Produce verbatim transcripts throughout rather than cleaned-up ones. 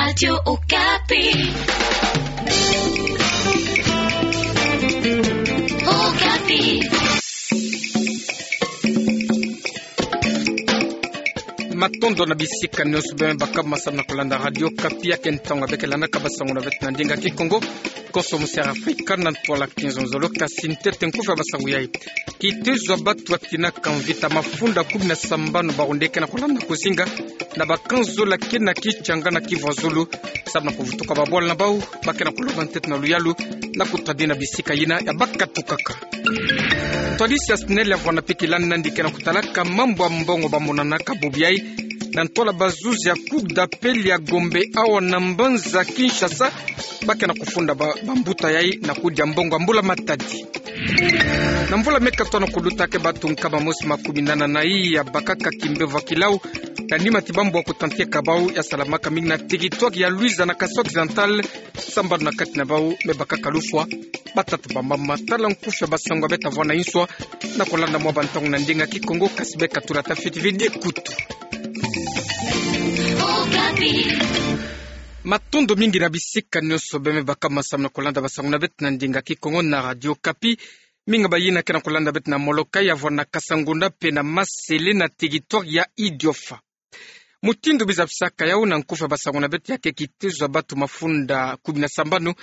Radio Okapi. Okapi. Matondo na bisika nyonso bima baka masamu na kolanda Radio Okapi, ya ke ntangu ya beke landaka basango na beto na ndinga Kikongo, Konso Musiala Afrika, na ntwala kinzonzolo. Kasi ntete nkufi ya basango yai. Kitezo ya batu atinaka mvita, mafunda kumi na sambanu bawu nde ke na kolanda kuzinga na bakanzole ya kina Kitshanga na Kivu ya Zulu, samu na kuvutuka babwala na bawu, ba ke na kulomba ntete na luyalu na kutadina bisika yina ya bakatukaka. Ntwadisi ya SNEL ya vwanda mpe kilani nandi ke na kutalaka mambu ya mbongo bamonanaka bubu yai na ntwala bazuzi ya Cour d'appel ya Gombe awa na mbanza Kinshasa, ba ke na kufunda ba, bambuta yai na kudia mbongo ya mbula matadi. Na mvula me katoto na kuluta, ke batu nkama mosi makumi nana na iya bakaka kimbevo ya kilau na nima ti bambwa kutanteka bawu ya salamaka mingi na territoire ya Luiza na Kasaï Occidental, sambanu na kati na bawu me bakaka lufwa. Batatu bamama. Tala nkufi ya basango ya beta vwa na inswa na kolanda mwa bantangu na ndinga Kikongo, kasi beka tula tafiti vidi kutu. Matondo mingi na bisika nyonso bima baka masamu na kolanda basango na beto na ndinga Kikongo na Radio Okapi. Mingi bayina ke na kolanda beto na Molokai ya vwa na Kasangunda mpe na Masele na territoire ya Idiofa. Mutindu biza bisaka yau na nkufi ya basango na beto, ya ke kitezo ya batu mafunda kumi na sambanu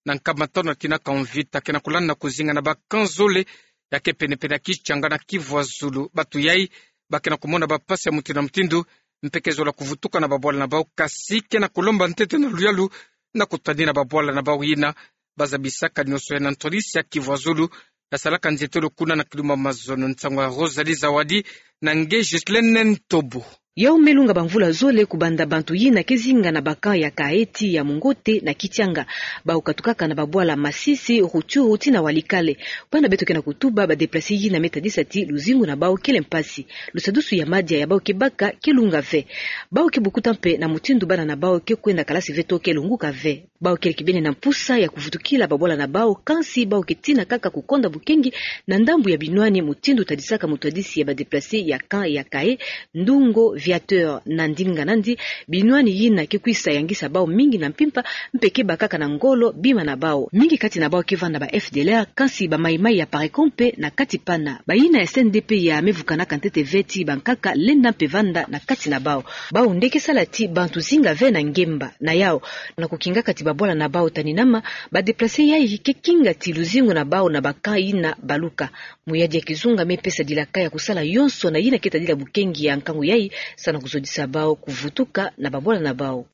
na nkama tanu atinaka mvita ke na kolanda kuzinga na bakanzole ya ke penepene ya Kitshanga na Kivu ya Zulu. Batu yai ba ke na kumona bampasi ya mutindu na mutindu, mpe ke zola kuvutuka na babwala na bawu, kasi ke na kulomba ntete na luyalu na kutadina babwala na bawu yina. Baza bisaka nyonso ya na ntwadisi ya Kivu ya Zulu ya salaka nzietolo kuna na Kilumba Mazono. Nsangu ya Rosalie Zawadi na nge Ghislaine Ntobo. Yau me lunga bamvula zole kubanda bantu yina ke zinga na bacamp ya Kaeti, ya Mungote na Kitshanga. Bawu katukaka na babwala Masisi, Rutshuru tii na Walikale. Banda beto ke na kutuba, badéplacés yina me tadisa ti luzingu na bawu kele mpasi. Lusadusu ya madia ya bawu ke baka ke lunga ve. Bawu ke bukuta mpe na mutindu bana na bawu ke kwenda kalasi ve to ke lunguka ve. Bawu kele kibeni na mpusa ya kuvutukila babwala na bawu, kansi bawu ke tina kaka kukonda bukengi na ndambu ya binwani, mutindu tadisaka mutwadisi ya badéplacés ya camp ya Kae, Ndungo Viateur. Na ndinga nandi, binwani yina ke kwisa yangisa bawu mingi na mpimpa, mpe ke bakaka na ngolo bima na bawu. Mingi kati na bawu ke vanda ba F D L R, kansi ba Maï-Maï ya Parecon mpe na kati pana. Bayina ya C N D P ya me vukanaka ntete ve ti bankaka lenda mpe vanda na kati na bawu. Bawu nde ke sala ti bantu zinga ve na ngemba. Na yau, na kukingaka ti babwala na bawu taninama, badéplacés yai ke kinga ti luzingu na bawu na bacamp yina baluka. Muyadi ya kizunga me pesa dilaka ya kusala yonso na yina ke tadila bukengi ya nkangu yai, samu na kuzodisa bawu kuvutuka na babwala na bawu.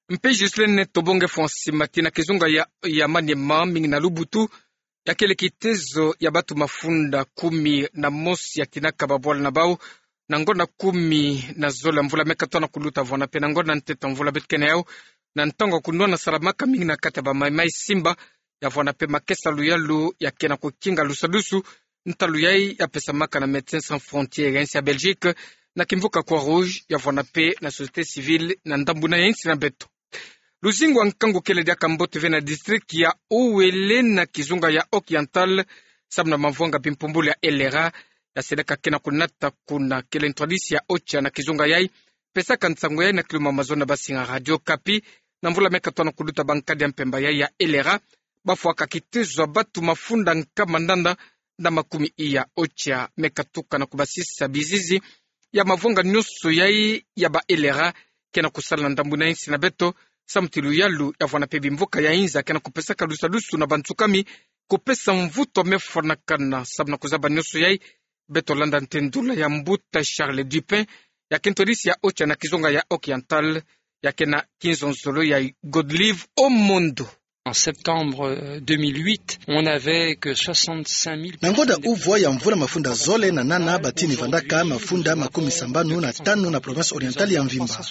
Mpe Ghislaine Ntobo nge fwa nsima ti na kizunga ya, ya Maniema, mingi na Lubutu, ya kele kitezo ya batu mafunda kumi na mosi atinaka babwala na bawu na ngonda kumi na zole ya mvula me katoto na kuluta, vwanda mpe na ngonda ntete ya mvula beto ke na yau, na ntangu ya kunwana salamaka mingi na kati ya ba Maï-Maï Simba. Ya vwanda mpe makesa luyalu ya ke na kukinga lusadusu. Ntalu yai ya pesamaka na Médecins Sans Frontières ya insi ya Belgique, na kimvuka Croix-Rouge, ya vwanda mpe na société civile na ndambu na ya insi na beto. Luzingu ya nkangu kele diaka mbote ve na district ya Uele na kizunga ya Occidental, samu na mavwanga bimpumbulu ya L R A, ya seleka ke na kunata kuna. Kele ntwadisi ya OCHA na kizunga yai pesaka nsangu yai na Kilumba Mazono na basinga Radio Okapi. Na mvula me katoto na kuluta, bankadi ya mpemba yai ya L R A bafwaka kitezo ya batu mafunda nkama ndanda na makumi iya. OCHA me katuka na kubasisa bizizi ya mavwanga nyonso yai ya ba L R A ke na kusala na ndambu na insi na beto, samu ti luyalu ya vwanda mpe bimvuka ya inza ke na kupesaka lusadusu na bansukami, kupesa mvutu me fwanakana. Samu na kuzaba nyonso yai, beto landa ntendula ya mbuta Charles Dupin, ya ke ntwadisi ya OCHA na kizunga ya Occidental, ya ke na kinzonzolo ya Godlive Omondo. En septembre, euh, deux mille huit, on n'avait que soixante-cinq mille personnes. Na ngonda uvwa ya mvula mafunda zole na nana batini vandaka mafunda makumi sambanu na tanu na province orientale ya mvimba.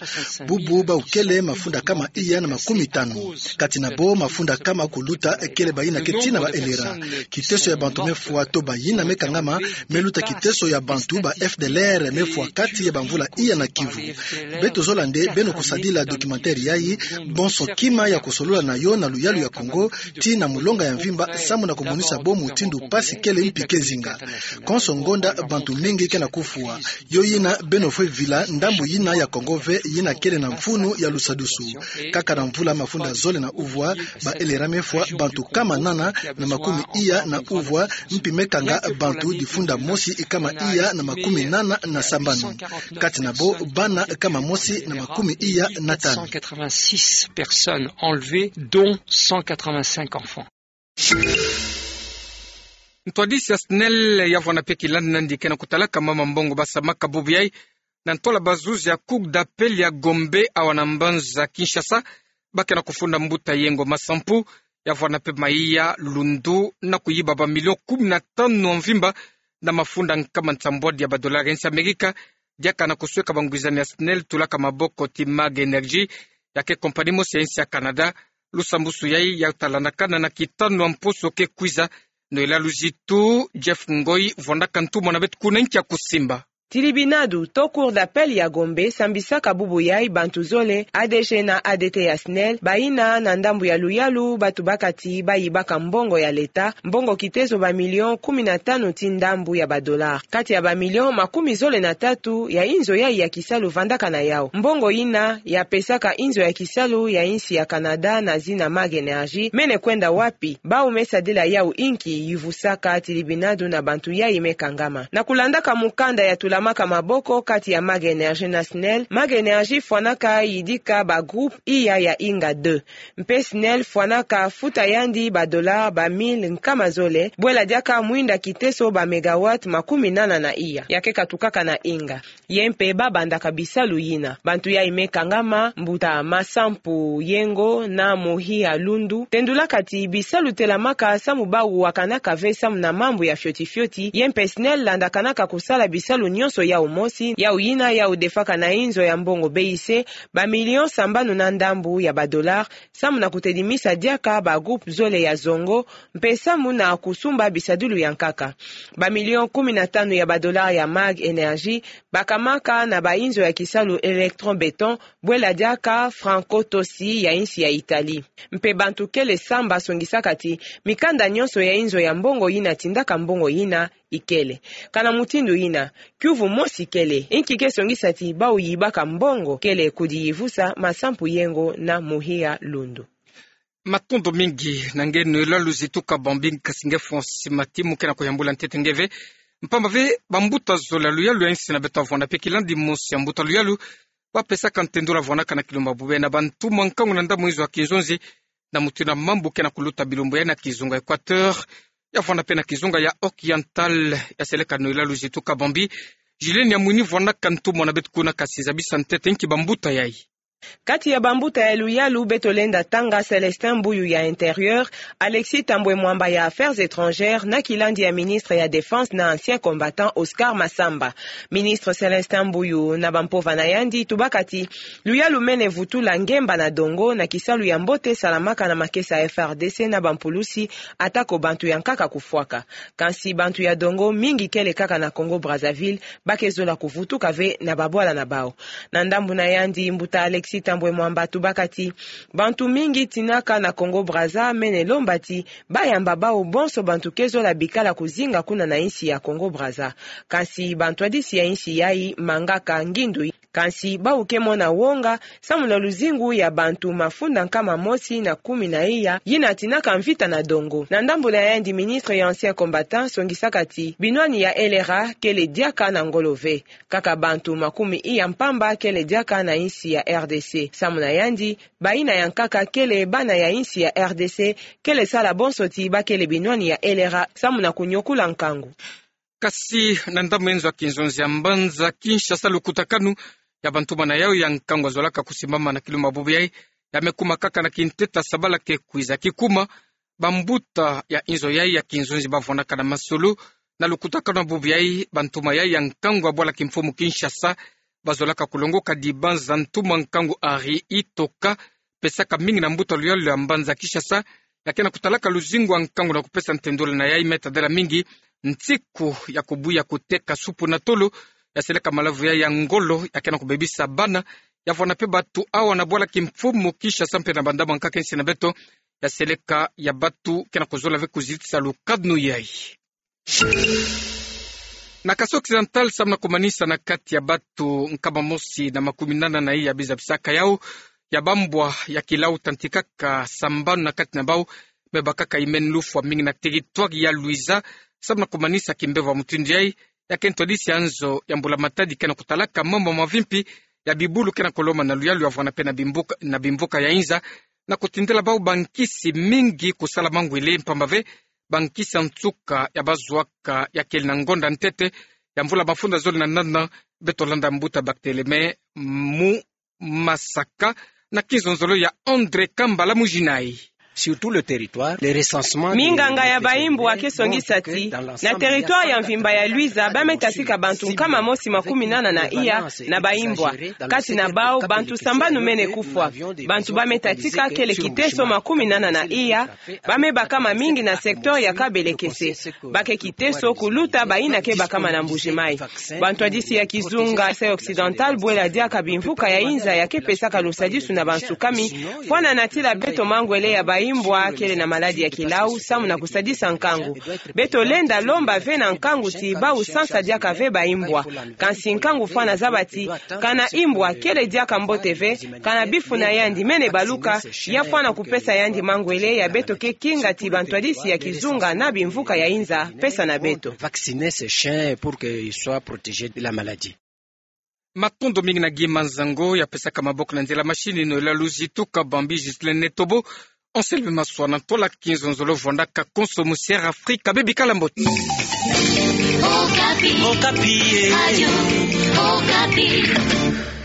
Bubu bawu kele mafunda kama iya na makumi tanu. Kati na bo, mafunda kama kuluta kele bayina ke tina ba L R A. Kiteso ya bantu me fwa to bayina me kangama me luta kiteso ya bantu ba F D L R me fwa kati ya bamvula iya na Kivu. Beto zola nde beno kusadila documentaire yayi, bonso kima ya kusolola na yo na luyalu ya Kongo, tii na molonga ya mvimba, samu na kumonisa bo mutindu pasi kele mpi ke zinga. Konso ngonda bantu mingi ke na kufwa. Yo yina beno fwe vila ndambu yina ya Kongo ve yina kele na mfunu ya lusadusu. Kaka na mvula mafunda zole na uvwa, ba L R A me fwa bantu kama nana na makumi iya na uvwa, mpi me kanga bantu difunda mosi kama iya na makumi nana na sambanu. Kati na bo bana kama mosi na makumi iya na tanu. Cent quatre-vingt-six personnes enlevées, dont cent quatre-vingt-cinq enfants. Ntwadisi ya SNEL ya vwanda mpe kilandi nandi ke na kutalaka mama mbongo basamaka bubu yai na ntola bazuzi ya Cour d'appel ya Gombe awa na mbanza Kinshasa, ba ke na kufunda mbuta Yengo Masampu, ya vwanda mpe Mahiya Lundu, na kuyiba ba millions kumi na tanu ya mvimba na mafunda nkama nsambwadi ya ba dollars ya insi Amerika, diaka na kusweka bangwizani ya SNEL tulaka maboko ti Mag Energy, ya ke compagnie mosi ya insi ya Canada. Lusambusu yai ya talandakana na kitanu ya mposo ke kwiza. Noëlla Luzitu, Jeff Ngoi vwandaka ntumwa na beto kuna nki ya kusimba. Tilibinadu to Cour d'appel ya Gombe sambisaka bubu yai bantu zole, A D G na A D T ya SNEL, bayina na ndambu ya luyalu ba tubaka ti bayibaka mbongo ya leta, mbongo kitezo ba millions kumi na tanu ti ndambu ya ba dollars. Kati ya ba millions makumi zole na tatu ya inzo yai ya kisalu vandaka na yau. Mbongo yina ya pesaka inzo ya kisalu ya insi ya Canada na zina Mag Energy, mene kwenda wapi? Bau me sadila yau inki? Yivusaka tilibinadu na bantu yai me kangama. Na kulandaka mukanda ya tulamaka maboko kati ya Mag Energy na SNEL, Mag Energy fwanaka yidika ba groupe iya ya inga deux. Mpe SNEL fwanaka futa yandi ba dollars ba mille nkama zole, bwela diaka mwinda kiteso ba mégawatts makumi nana na iya. Ya ke katukaka na inga. Ye mpe ba bandaka bisalu yina. Bantu yai me kangama, mbuta Masampu Yengo na Muhiya Lundu, tendulaka ti bisalu telamaka samu bau wakanaka ve samu na mambu ya fioti fioti, ye mpe SNEL landakanaka kusala bisalu nyonso yau mosi, yau yina yau defaka na inzo ya mbongo B I C, ba millions sambanu na ndambu ya ba dollars, samu na kutedimisa diaka ba groupe zole ya zongo, mpe samu na kusumba bisadilu ya nkaka. Ba millions kumi na tanu ya ba dollars ya Mag Energy bakamaka na ba inzo ya kisalu Electron Béton, bwela diaka Franco Tosi ya insi ya Italie. Mpe bantu kele samba songisaka ti mikanda nyonso ya inzo ya mbongo yina tindaka mbongo yina ikele. Kana mutindu yina, kiuvu mosi kele, inki ke songisa ti bau yibaka mbongo kele? Kudi yivusa Masampu Yengo na Muhiya Lundu. Matondo mingi na nge Noëlla Luzitu Kabambi, kasi nge Francis Mati mu ke na kuyambula ntete nge ve. Mpamba ve bambuta zole ya luyalu ya insi na beto ya vwanda mpe kilandi mosi ya mbuta luyalu, ba pesaka ntendula vwanaka na kilumbu bubu yai na bantumwa nkangu na ndambu inzo ya kinzonzi, na mutindu ya mambu ke na kuluta bilumbu yai na kizunga Équateur, ya vwanda mpe na kizunga ya Oriental, ya seleka Noëlla Luzitu Kabambi. Julienne ya Mwini vwanaka ntumwa na beto kuna, kasi zabisa ntete nki bambuta yai. Kati ya bambuta ya luyalu beto lenda tanga, Célestin Mbuyu ya Intérieur, Alexis Thambwe Mwamba ya Affaires étrangères, na kilandi ya ministre ya Défense na ancien combattant Oscar Massamba. Ministre Célestin Mbuyu na bampova na yandi tubaka ti luyalu mene vutula ngemba na dongo na kisalu ya mbote salamaka na makesa ya F R D C na bampulusi, atako bantu ya nkaka kufwaka. Kansi bantu ya dongo mingi kele kaka na Congo Brazzaville, ba ke zola kuvutuka ve na babwala na bau. Na ndambu na yandi, mbuta Alexis Thambwe Mwamba tubaka ti bantu mingi tinaka na Congo Brazza mene lomba ti ba yamba bau bonso bantu ke zola bikala kuzinga kuna na insi ya Congo Brazza. Kansi bantwadisi ya insi yai mangaka ngindu, kansi bau ke mona wonga samu na luzingu ya bantu mafunda nkama mosi na kumi na iya yina tinaka mvita na dongo. Na ndambu na yandi, ministre ya ancien combattant songisaka ti binwani ya L R A kele diaka na ngolo ve. Kaka bantu makumi iya mpamba kele diaka na insi ya R D C. Samu na yandi, bayina ya nkaka kele bana ya insi ya R D C, kele sala bonso ti ba kele binwani ya L R A samu na kunyokula nkangu. Kasi na ndambu inzo ya kinzonzi ya mbanza Kinshasa, lukutakanu ya bantumwa na yau ya nkangu ya zolaka kusimbama na kilumbu bubu yai, ya me kuma kaka na kinteta sabala ke kwiza. Kikuma, bambuta ya inzo yai ya kinzonzi ba vwanaka na masolo na lukutakanu ya bubu yai, bantumwa yai ya nkangu ya bwala kimfumu Kinshasa, ba zolaka kulongoka dibanza ntumwa nkangu Henri Itoka, pesaka mingi na mbuta luyalu ya mbanza Kinshasa, ya ke na kutalaka luzingu ya nkangu na kupesa ntendula na yai, me tadela mingi nsiku ya kubuya kuteka supu na tolo, ya seleka malavu yai ya ngolo, ya ke na kubebisa bana, ya vwanda mpe batu awa na bwala kimfumu Kinshasa mpe na bandambu ya nkaka insi na beto, ya seleka ya batu kena kuzola ve kuzitisa lukadnu yai. Na Kasaï Occidental, samu na kumanisa na kati ya batu nkama mosi na makumi nana na iya biza bisaka yau ya bambwa ya kilau tantikaka sambanu na kati na bau, me bakaka imen lufwa mingi na territoire ya Luiza, samu na kumanisa kimbevo ya mutindu yai, ya kento disi ya nzo ya mbula matadi kena kutalaka mambu mavimpi ya bibulu kena koloma na luyalu ya vwanda pe na bimbuka, na bimvuka ya inza, na kutindela bau bankisi mingi kusala mangwele mpamba ve bankisi ya nsuka ya bazwaka ya kele na ngonda ntete ya mvula mafunda zole na nana. Beto landa mbuta Barthelemy Mumasaka na kinzonzolo ya André Kambala Mujinai. Sur tout le territoire, le recensement des... Minganga ya baimbwa ke songisa ti na territoire ya mvimba ya Luiza ba me tatika bantu nkama mosi makumi nana na iya na baimbwa. Kati na bau, bantu sambanu mene kufwa. Bantu ba me tatika kele kiteso makumi nana na iya, ba me bakama mingi na secteur ya Kabelekese. Ba ke kiteso kuluta baina ke bakama na Mbuji-Mayi. Bantwadisi ya kizunga Kasaï Occidental bwela diaka bimvuka ya inza ya ke pesaka lusadisu na bansukami, fwana na tila beto mangwele ya baimbwa kele na maladi ya kilau, samu na kusadisa nkangu. Beto lenda lomba ve na nkangu ti bau sansa diaka ve baimbwa. Kansi nkangu fwana zaba ti, kana imbwa kele diaka mbote ve, kana bifu na yandi mene baluka, ya fwana kupesa yandi mangwele ya beto ke kinga ti bantwadisi ya kizunga na bimvuka ya inza pesa na beto. Vacciner ces chiens pour qu'ils soient protégés de la maladie. Matondo mingi na Guy Manzango ya pesaka maboko na nzila machine, no la luzi tuka bambi Ghislain Netobo. Anselme Maswa na ntola kinzonzolo vwandaka konso mu Sierra Africa, bebi kala mbote. Okapi. Okapi, eh. Radio Okapi.